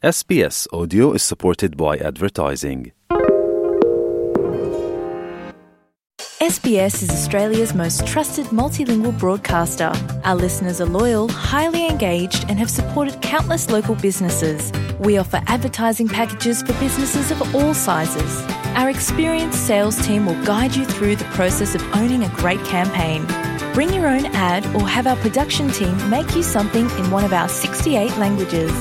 SBS Audio is supported by advertising. SBS is Australia's most trusted multilingual broadcaster. Our listeners are loyal, highly engaged, and have supported countless local businesses. We offer advertising packages for businesses of all sizes. Our experienced sales team will guide you through the process of owning a great campaign. Bring your own ad or have our production team make you something in one of our 68 languages.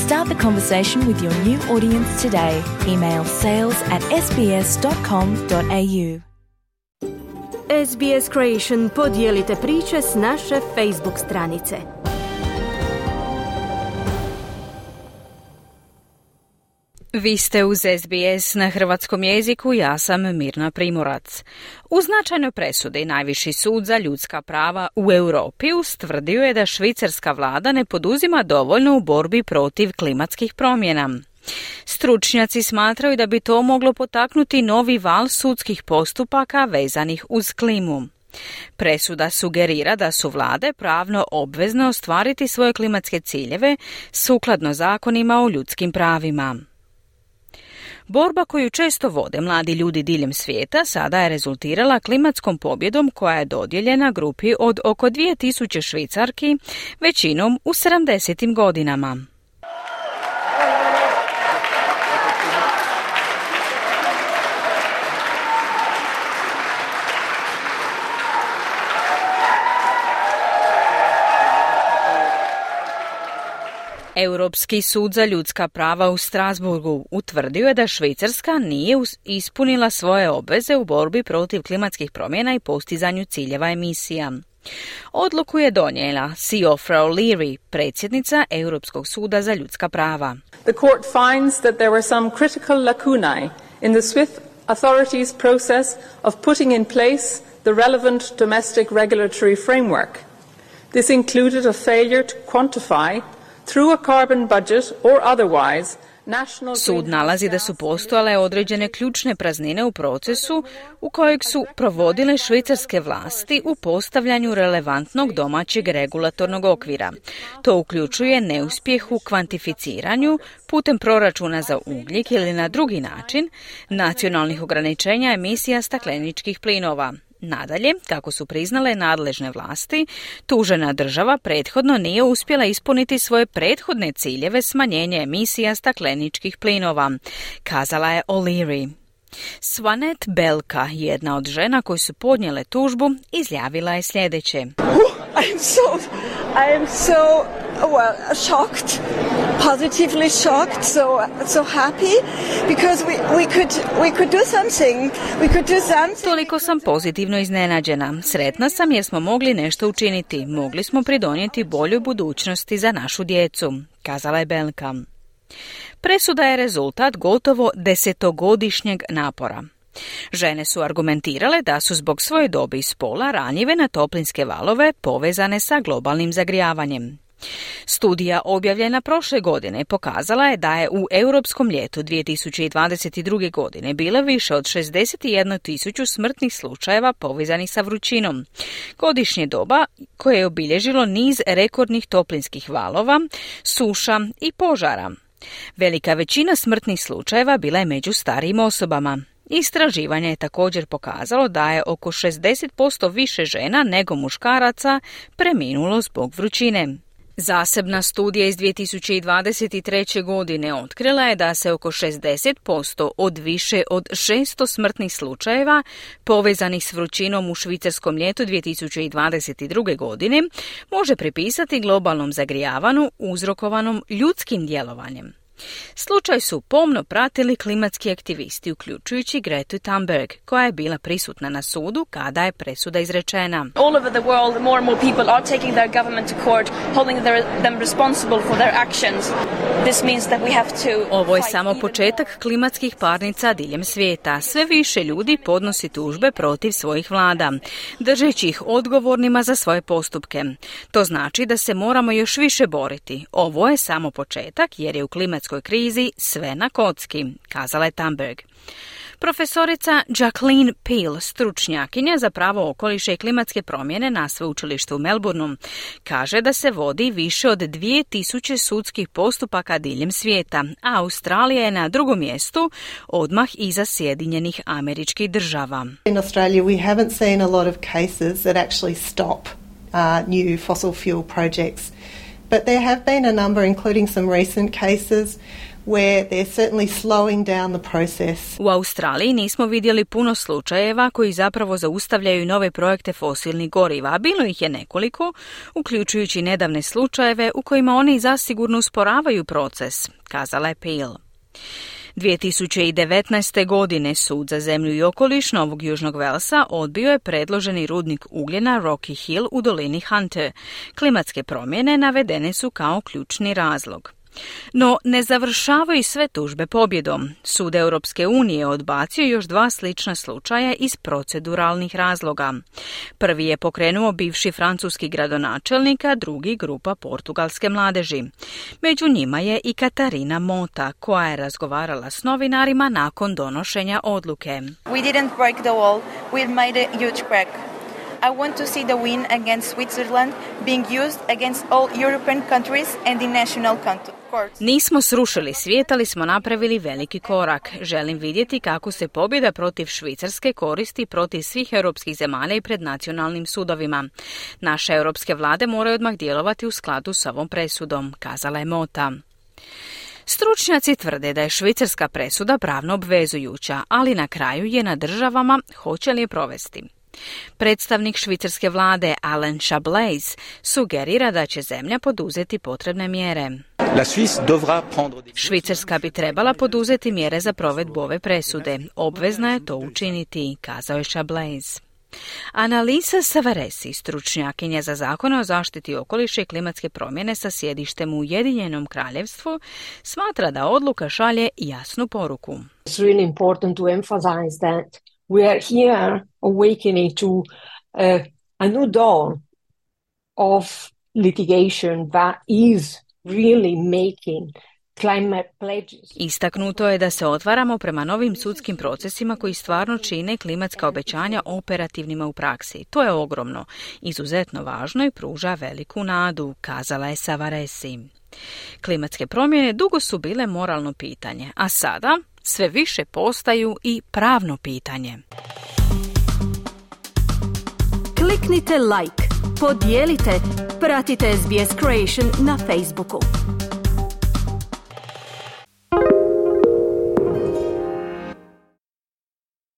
Start the conversation with your new audience today. Email sales@sbs.com.au. SBS Creation podijelite priče s naše Facebook stranice. Vi ste uz SBS na hrvatskom jeziku, ja sam Mirna Primorac. U značajnoj presudi Najviši sud za ljudska prava u Europi ustvrdio je da švicarska vlada ne poduzima dovoljno u borbi protiv klimatskih promjena. Stručnjaci smatraju da bi to moglo potaknuti novi val sudskih postupaka vezanih uz klimu. Presuda sugerira da su vlade pravno obvezne ostvariti svoje klimatske ciljeve sukladno zakonima o ljudskim pravima. Borba koju često vode mladi ljudi diljem svijeta sada je rezultirala klimatskom pobjedom koja je dodijeljena grupi od oko 2000 Švicarki, većinom u 70. godinama. Europski sud za ljudska prava u Strasburgu utvrdio je da Švicarska nije ispunila svoje obveze u borbi protiv klimatskih promjena i postizanju ciljeva emisija. Odluku je donijela Siofra O'Leary, predsjednica Europskog suda za ljudska prava. The court finds that there were some critical lacunae in the Swiss authorities' process of putting in place the relevant domestic regulatory framework. This included a failure to quantify through a carbon budget or otherwise. Sud nalazi da su postojale određene ključne praznine u procesu u kojeg su provodile švicarske vlasti u postavljanju relevantnog domaćeg regulatornog okvira. To uključuje neuspjeh u kvantificiranju putem proračuna za ugljik ili na drugi način nacionalnih ograničenja emisija stakleničkih plinova. Nadalje, kako su priznale nadležne vlasti, tužena država prethodno nije uspjela ispuniti svoje prethodne ciljeve smanjenja emisija stakleničkih plinova, kazala je O'Leary. Swanet Belka, jedna od žena koji su podnijele tužbu, izjavila je sljedeće. I am so shocked, positively shocked, so happy because we could do something. Toliko sam pozitivno iznenađena. Sretna sam jer smo mogli nešto učiniti. Mogli smo pridonijeti boljoj budućnosti za našu djecu, kazala je Belka. Presuda je rezultat gotovo 10-godišnjeg napora. Žene su argumentirale da su zbog svoje dobi i spola ranjive na toplinske valove povezane sa globalnim zagrijavanjem. Studija objavljena prošle godine pokazala je da je u europskom ljetu 2022. godine bilo više od 61.000 smrtnih slučajeva povezanih sa vrućinom. Godišnje doba koje je obilježilo niz rekordnih toplinskih valova, suša i požara. Velika većina smrtnih slučajeva bila je među starijim osobama. Istraživanje je također pokazalo da je oko 60% više žena nego muškaraca preminulo zbog vrućine. Zasebna studija iz 2023. godine otkrila je da se oko 60% od više od 600 smrtnih slučajeva povezanih s vrućinom u švicarskom ljetu 2022. godine može pripisati globalnom zagrijavanju uzrokovanom ljudskim djelovanjem. Slučaj su pomno pratili klimatski aktivisti, uključujući Gretu Thunberg, koja je bila prisutna na sudu kada je presuda izrečena. All over the world, more and more people are taking their government to court, holding them responsible for their actions. This means that we have to. Ovo je samo početak klimatskih parnica diljem svijeta. Sve više ljudi podnosi tužbe protiv svojih vlada, držeći ih odgovornima za svoje postupke. To znači da se moramo još više boriti. Ovo je samo početak jer je u klimatskoj krizi sve na kocki, kazala je Thunberg. Profesorica Jacqueline Peel, stručnjakinja za pravo okoliša i klimatske promjene na sveučilištu u Melbourneu, kaže da se vodi više od 2000 sudskih postupaka diljem svijeta, a Australija je na drugom mjestu, odmah iza Sjedinjenih Američkih Država. In Australia we haven't seen a lot of cases that actually stop new fossil fuel projects, but there have been a number, including some recent cases, where they're certainly slowing down the process. U Australiji nismo vidjeli puno slučajeva koji zapravo zaustavljaju nove projekte fosilnih goriva, a bilo ih je nekoliko, uključujući nedavne slučajeve u kojima oni zasigurno usporavaju proces, kazala je Peel. 2019. godine Sud za zemlju i okoliš Novog Južnog Velsa odbio je predloženi rudnik ugljena Rocky Hill u dolini Hunter. Klimatske promjene navedene su kao ključni razlog. No, ne završavaju sve tužbe pobjedom. Sud Europske unije odbacio još 2 slična slučaja iz proceduralnih razloga. Prvi je pokrenuo bivši francuski gradonačelnik, a drugi grupa portugalske mladeži. Među njima je i Katarina Mota, koja je razgovarala s novinarima nakon donošenja odluke. We didn't break the wall, we made a huge crack. I want to see the win against Switzerland being used against all European countries and the national courts. Nismo srušili svijet, ali smo napravili veliki korak. Želim vidjeti kako se pobjeda protiv Švicarske koristi protiv svih europskih zemalja i pred nacionalnim sudovima. Naše europske vlade moraju odmah djelovati u skladu s ovom presudom, kazala je Mota. Stručnjaci tvrde da je švicarska presuda pravno obvezujuća, ali na kraju je na državama hoće li je provesti. Predstavnik švicarske vlade Alain Chablais sugerira da će zemlja poduzeti potrebne mjere. Švicarska bi trebala poduzeti mjere za provedbu ove presude. Obvezna je to učiniti, kazao je Chablais. Annalisa Savaresi, stručnjakinja za zakone o zaštiti okoliša i klimatske promjene sa sjedištem u Ujedinjenom Kraljevstvu, smatra da odluka šalje jasnu poruku. It's really important to emphasize that we are here awakening to a new dawn of litigation that is really making climate pledges. Istaknuto je da se otvaramo prema novim sudskim procesima koji stvarno čine klimatska obećanja operativnima u praksi. To je ogromno, izuzetno važno i pruža veliku nadu, kazala je Savaresi. Klimatske promjene dugo su bile moralno pitanje, a sada sve više postaju i pravno pitanje. Kliknite like, podijelite, pratite SBS Creation na Facebooku.